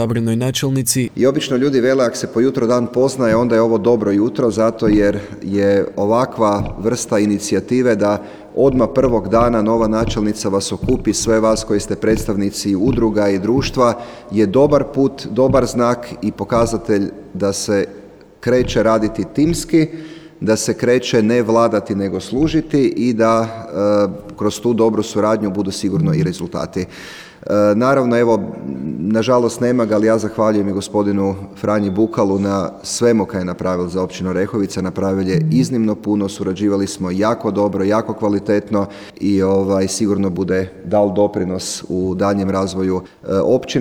izabranoj načelnici. I obično ljudi vele, ako se po jutro dan poznaje, onda je ovo dobro jutro, zato jer je ovakva vrsta inicijative da odmah prvog dana nova načelnica vas okupi, sve vas koji ste predstavnici udruga i društva, je dobar put, dobar znak i pokazatelj da se kreće raditi timski, da se kreće ne vladati nego služiti i da kroz tu dobru suradnju budu sigurno i rezultati. Naravno, evo, nažalost nema ga, ali ja zahvaljujem i gospodinu Franji Bukalu na svemu kaj je napravil za općinu Orehovica. Napravil je iznimno puno, surađivali smo jako dobro, jako kvalitetno i sigurno bude dal doprinos u daljem razvoju općine.